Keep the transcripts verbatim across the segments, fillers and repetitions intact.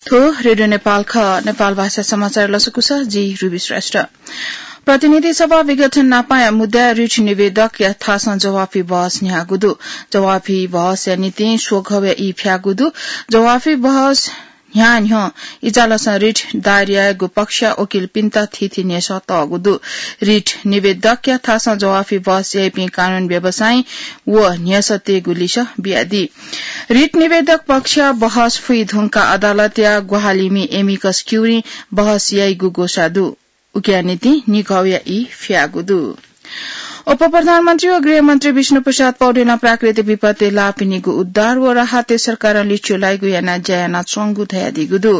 थ्व रेडियो नेपाल खः। नेपाल भाषा समाचार लसकुस, जि रुबी श्रेष्ठ। प्रतिनिधि सभा विघटन नापाया मुद्दा रिट निवेदकया थासं जवाफी बहस न्ह्यागु दु। जवाफी बहसया निंतिं स्वघवया ई फ्यागु दु। जवाफी बहस न्ह्यान्ह्यः इजालसं रिट दायर यायेगु पक्षया वकिलपिन्त थीथी न्ह्यसः तःगु दु। रिट निवेदकया थासं जवाफी बहस याइपिं कानून व्यवसायी व न्ह्यसःतय्गु लिसः बियादी। रिट निवेदक पक्षया बहस फुइ धुंकाः अदालतया ग्वाहालिमि amicus curiae बहस याइगु ग्वसाः दु। उकिया निंतिं निघौया ई फ्यागु दु। उपप्रधानमन्त्री व गृहमन्त्री विष्णुप्रसाद पौडेलं प्राकृतिक विपत्ति लाःपिनिगु उद्धार व राहतय् सरकारं लिच्वः लाइगु यानाः ज्या यानाच्वंगु धयादीगु दु।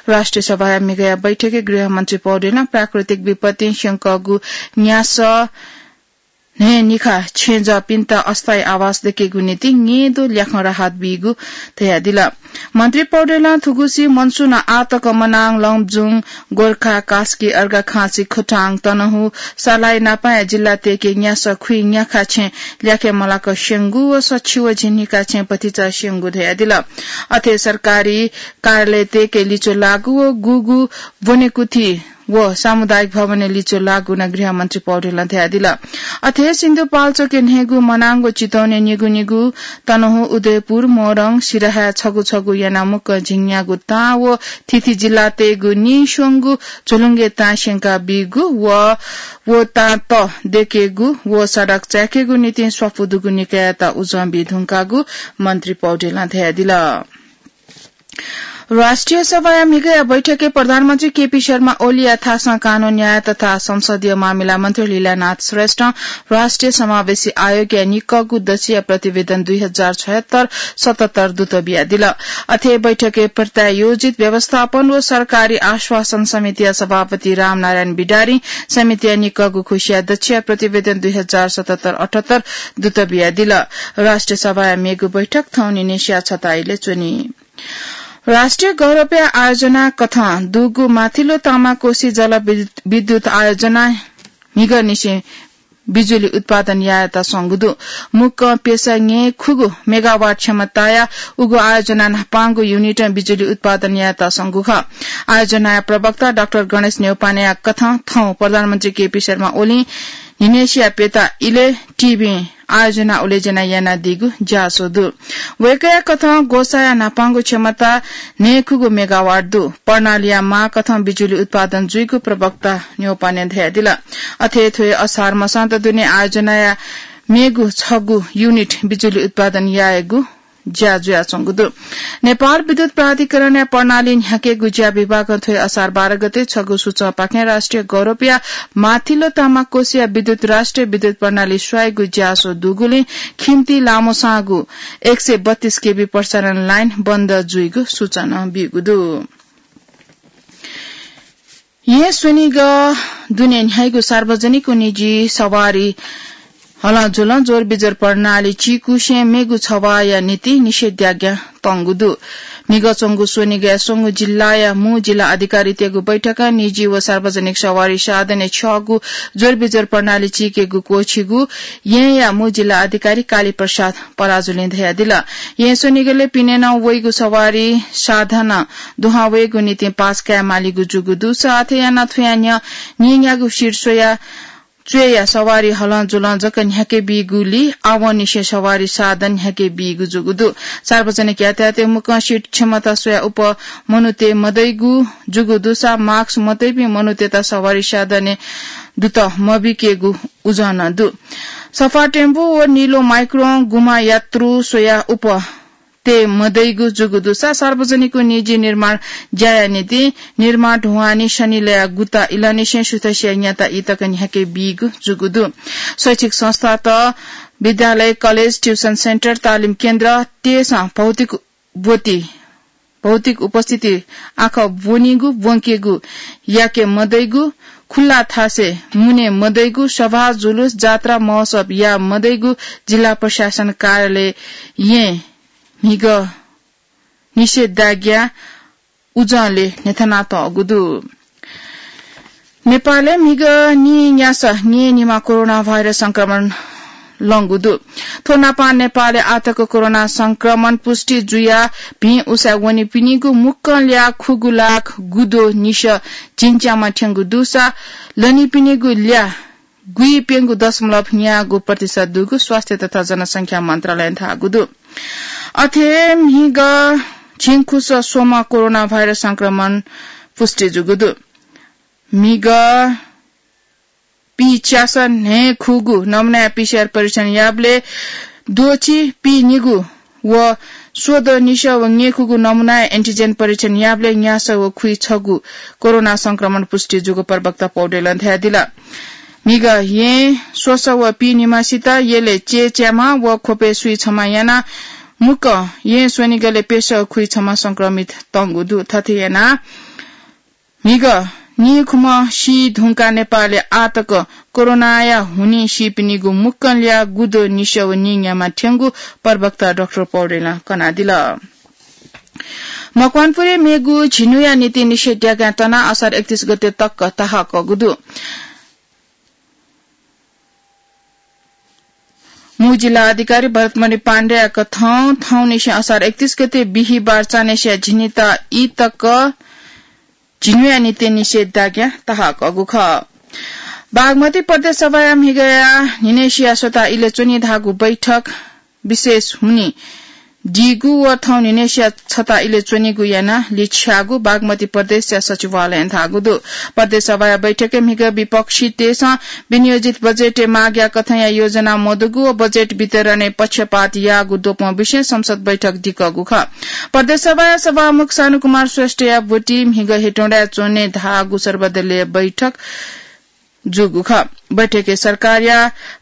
राष्ट्रिय सभाया म्हिगःया बैठकय् गृहमन्त्री पौडेलं प्राकृतिक विपत्तिं स्यंकःगु न्यासः न्हय्‌निखा छेँजःपिन्त अस्थायी आवास दयेकेगु निंतिं न्येदँ ल्याखं राहत बीगु धयादिल। मन्त्री पौडेलं थुगुसी मनसुनं आःतक मनाङ, लमजुङ, गोरखा, कास्की, अर्घाखाँची, खोटाङ, तनहुँ, सर्लाही नापाया जिल्लातय्‌के न्यासः खुइन्याखा छेँ ल्याखे मलाक स्यंगु व सछि व झिंनिखा छेँ भतिचा स्यंगु धयादिल। अथे सरकारी कार्यालयतय्‌के लिच्वः लाःगु व गुगु ब्वनेकुथि व सामुदायिक भवनय् लिच्वः लाःगु नं गृहमन्त्री पौडेलं धयादिल। अथे सिन्धुपाल्चोकय् न्हय्‌गू, मनाङ व चितवनय् निगू निगू, तनहुँ, उदयपुर, मोरङ, सिराहाय् छगू छगू यानाः मुक्कं झिंन्यागू तां व थीथी जिल्लातय्‌गु नीस्वंगू झुलुंगे तां स्यंका बीगु व व तां तःदयेकेगु व सडक चाय्‌केगु निंतिं स्वापू दुगु निकाययात उजं बी धुंकागु मन्त्री पौडेलं धयादिल। राष्ट्रिय सभाया म्हिगःया बैठकय् प्रधानमन्त्री केपी शर्मा ओलीया थासं कानून, न्याय तथा संसदीय मामिला मन्त्री लीलानाथ श्रेष्ठं राष्ट्रिय समावेशी आयोगया निक्कःगु दच्छिया प्रतिवेदन दुई हजार छयत्तर सतहत्तर दुत बियादिल। अथे बैठकय् प्रत्यायोजित व्यवस्थापन व सरकारी आश्वासन समितिया सभापति रामनारायण बिडारीं समितिया निक्कःगु खुसिया दच्छिया प्रतिवेदन दुई हजार सतहत्तर अठहत्तर दुत बियादिल। राष्ट्रिय सभाया मेगु बैठक थौं निन्हय्‌सिया छता इलय् च्वनी। राष्ट्रिय गौरवया आयोजना कथं दुगु माथिल्लो तामाकोशी जल विद्युत, विद्युत आयोजना म्हिगःनिसें बिजुली उत्पादन यायेत स्वंगु दु। मुक्कं प्यसा न्यय्‌खुगू मेगावाट क्षमताया उगु आयोजना न्हापांगु युनिटं बिजुली उत्पादन यायेत स्वंगु खः। आयोजनाया प्रवक्ता डाक्टर गणेश न्यौपानेया कथं थौं प्रधानमन्त्री केपी शर्मा ओलीं निन्हय्‌सिया प्यता इलय् टिभीं आयोजना उलेजना यानादीगु ज्याझ्वः दु। वय्‌कःया कथं ग्वसाःया न्हापांगु क्षमता न्यय्‌खुगू मेगावाट दु। प्रणालीया माःकथं बिजुली उत्पादन जुइगु प्रवक्ता न्यौपानें धयादिल। अथे थ्व हे असार मसांत दुने आयोजनाया मेगु छगू युनिट बिजुली उत्पादन यायेगु ज्या जुयाच्वंगु दु। नेपाल विद्युत प्राधिकरणया प्रणाली न्ह्याकेगु ज्या विभागं थ्व हे असार बाह्र गते छगू सूचंपाखें राष्ट्रिय गौरवया माथिल्लो तामाकोशीया विद्युत राष्ट्रिय विद्युत प्रणाली स्वायेगु ज्याझ्वः दुगुलिं खिम्ति लामोसांगु एक सय बत्तीस केभी प्रसारण लाइन बन्द जुइगु सूचना ब्यूगु दु। येँ स्वनिगः दुने न्ह्याइगु सार्वजनिक व निजी सवारी हलंजुलं ज्वरबिज्वर प्रणाली चीकुसें मेगु छवाःया निंतिं निषेधाज्ञा तंगु दु। म्हिगः च्वंगु स्वनिगःया स्वंगू जिल्लाया मू जिल्ला अधिकारीतय्‌गु बैठकं निजी व सार्वजनिक सवारी साधनय् छ्यःगु ज्वरबिज्वर प्रणाली चीकेगु क्वःछिगु येँया मू जिल्ला अधिकारी कालीप्रसाद पराजुलीं धयादिल। येँ स्वनिगलय् पिनेनं वइगु सवारी साधनं दुहां वयेगु निंतिं पास कायेमालीगु जूगु दुसा अथे यानाः थुया न्ह्यः न्हिंन्यागू सिर स्वया च्वय्‌या सवारी हलंजुलं जक न्ह्याके बीगुलिं आवंनिसें सवारी साधन न्ह्याके बीगु जूगु दु। सार्वजनिक यातायातय् मुक्कं सिट क्षमता स्वयाः उप मनूतय् मदइगु जूगु दुसा मास्क मतइपिं मनूतय्‌त सवारी साधनय् दुत मबीकेगु उजं नं दु। सफा टेम्पो व निलो माइक्रों गुम्ह यात्रु स्वयाः उप तये मदइगु जूगु दुसा सार्वजनिक व निजी निर्माण ज्याया निंतिं निर्माण ढुवानी शनिलया गुता इलंनिसें सुथसिया न्याता ई तक न्ह्याके बीगु जूगु दु। शैक्षिक संस्थात, विद्यालय, कलेज, ट्युसन सेन्टर, तालिम केन्द्र तयेसं भौतिक ब्वति, भौतिक उपस्थिति आखः ब्वनीगु, ब्वंकेगु, याके मदइगु, खुल्ला थासय् मुने मदइगु, सभा, जुलुस, जात्रा, महोत्सव याये मदइगु जिल्ला प्रशासन कार्यालय येँ म्हिगः निषेधाज्ञा उजंलय् न्ह्यथनातःगु दु। नेपालय् म्हिगः नीन्यासः न्येनिम्ह कोरोना भाइरस संक्रमण लंगु दु। थ्व नापं नेपालय् आःतक कोरोना संक्रमण पुष्टि जुयाः भिं उसाँय् वनीपिनिगु मुक्कं ल्याः खुगू लाख गुद्वः निसः झिंच्याम्ह थ्यंगु दुसा लनीपिनिगु ल्याः गुइप्यंगू दशमलव न्यागू प्रतिशत दुगु स्वास्थ्य तथा जनसंख्या मन्त्रालयं धाःगु दु। अथे म्हिगः झिंखुस स्वम्ह कोरोना भाइरस संक्रमण पुष्टि जूगु दु। म्हिगः पीच्यासः न्हय् खुगू नमुनाया पीसीआर परीक्षण याःबलय् द्वःछि पीनिगू व स्वदँ निसः व न्यय्खुगू नमुनाया एन्टिजेन परीक्षण याःबलय् न्यासः व खुइछगू कोरोना संक्रमण पुष्टि जूगु प्रवक्ता पौडेलं धयादिल। म्हिगः येँ स्वसः व पीनिम्हसित यलय् चय्च्याम्ह व ख्वपय् सुइछम्ह यानाः मुक्कं येँ स्वनिगलय् प्यसः खुइछम्ह संक्रमित तंगु दु। थथे यानाः म्हिगः नीखुम्ह सी धुंकाः नेपालय् आःतक कोरोनाया हुनिं सीपिनिगु मुक्कं ल्याः गुद्वः निसः व नीन्याम्ह थ्यंगु प्रवक्ता डाक्टर पौडेलं कनादिल। मकवानपुरय् मेगु झिन्हुया निंतिं निषेधाज्ञा तनाः असार एकतीस गते तक ताहाकःगु दु। मू जिल्ला अधिकारी भरतमणि पाण्डेया कथं थौंनिसें असार एकतीस गते बिहिबार चान्हय्सिया झिन्हुत ई तक झिन्हुया निंतिं निषेधाज्ञा ताहाकःगु खः। बागमती प्रदेश सभाया म्हिगःया न्हिनय्सिया स्वता इलय् च्वनी धाःगु बैठक विशेष हुनिं दीगु व थौं न्हिनय्सिया छता इलय् च्वनीगु यानाः लिछ्याःगु बागमती प्रदेशया सचिवालयं धाःगु दु। प्रदेश सभाया बैठकय् म्हिगः विपक्षीतय्सं विनियोजित बजेटय् मागया कथंया योजना मदुगु व बजेट वितरणय् पक्षपात याःगु द्वपं विषयं संसद बैठक दिकःगु खः। प्रदेश सभाया सभामुख सानुकुमार श्रेष्ठया ब्वति म्हिगः हेटौँडाय् च्वने धाःगु सर्वदलीय बैठक जूगु खः। बैठकय् सरकारया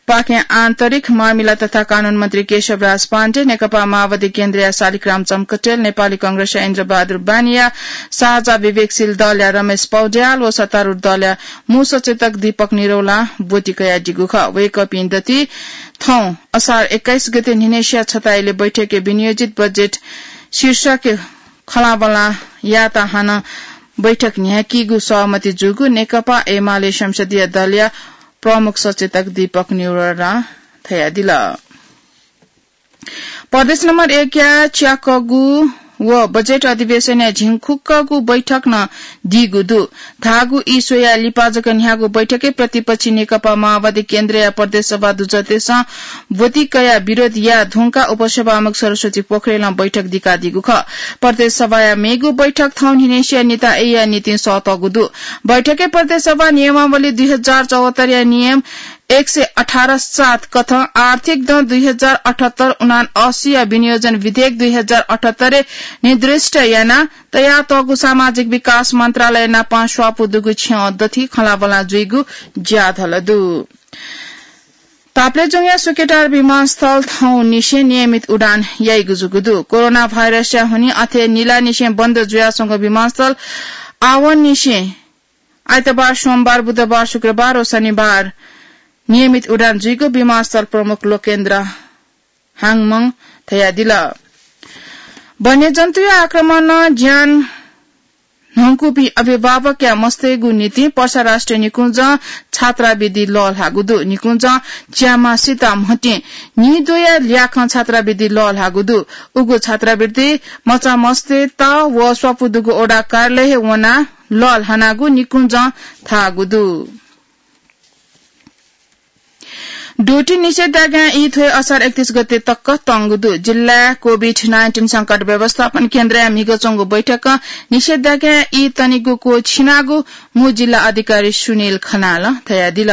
पाखें आन्तरिक मामिला तथा कानून मन्त्री केशवराज पाण्डे, नेकपा माओवादी केन्द्रया शालिग्राम जमकटेल, नेपाली कांग्रेसया इन्द्रबहादुर बानिया, साझा विवेकशील दलया रमेश पौड्याल व सत्तारूढ दलया मू सचेतक दीपक निरौलां ब्वति कयादीगु खः। वय्कःपिं दथुइ थौं असार एक्काइस गते न्हिनय्सिया छता इलय् बैठकय् विनियोजित बजेट शीर्षकय् खँल्हाबल्हा यायेत हानं बैठक न्ह्याकीगु सहमति जूगु नेकपा एमाले संसदीय दलया प्रमुख सचेतक दीपक निरौलां धयादिल। प्रदेश नम्बर एकया च्याकःगु व बजेट अधिवेशनया झिंखुक्कःगु बैठक नं दीगु दु। धाःगु ई स्वयाः लिपा जक न्ह्याःगु बैठकय् प्रतिपक्षी नेकपा माओवादी केन्द्रया प्रदेश सभा दुजःतय्सं ब्वति कयाः विरोध याये धुंकाः उपसभामुख सरस्वती पोखरेलं बैठक दिकादीगु खः। प्रदेश सभाया मेगु बैठक थौं न्हिनय्सिया निंतिं अय्या निंतिं सःतःगु दु। बैठकय् प्रदेश सभा नियमावली दुई हजार चौहत्तरया नियम एक सय अठार सात कथं आर्थिक दँ दुई हजार अठहत्तर उनान्असीया विनियोजन विधेयक दुई हजार अठहत्तरय् निर्दिष्ट यानाः तयातःगु सामाजिक विकास मन्त्रालय नाप स्वापू दुगु छ्यं दथुइ खँल्हाबल्हा जुइगु ज्याझ्वः दु। ताप्लेजुङया सुकेटार विमानस्थल थौंनिसें नियमित उडान याइगु जूगु दु। कोरोना भाइरसया हुनिं अथे निलानिसें बन्द जुयाच्वंगु विमानस्थल आवंनिसें आइतबार, सोमबार, बुधबार, शुक्रबार व शनिबार नियमित उडान जुइगु विमानस्थल प्रमुख लोकेन्द्र हाङमं धयादिल। वन्यजन्तुया आक्रमणं ज्यान न्हंकूपिं अभिभावकया मस्तय्गु निंतिं पर्सा राष्ट्रिय निकुञ्जं छात्रावृत्ति लःल्हाःगु दु। निकुञ्जं च्याम्हसित म्हतिं नीद्वःया ल्याखं छात्रावृत्ति लःल्हाःगु दु। उगु छात्रावृत्ति मचा मस्तय्त व स्वापू दुगु वडा कार्यालयय् वनाः लःल्हानागु निकुञ्जं धाःगु दु। द्वःति निषेधाज्ञा ई थ्व हे असार एकतीस गते तक तंगु दु। जिल्लाय् कोभिड नाइन्टिन संकट व्यवस्थापन केन्द्रया म्हिगः च्वंगु बैठकं निषेधाज्ञा ई तनेगु क्वःछिनागु मू जिल्ला अधिकारी सुनिल खनालं धयादिल।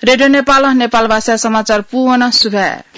रेडियो नेपालं नेपाल भाषा समाचार पूवन सुभाय्।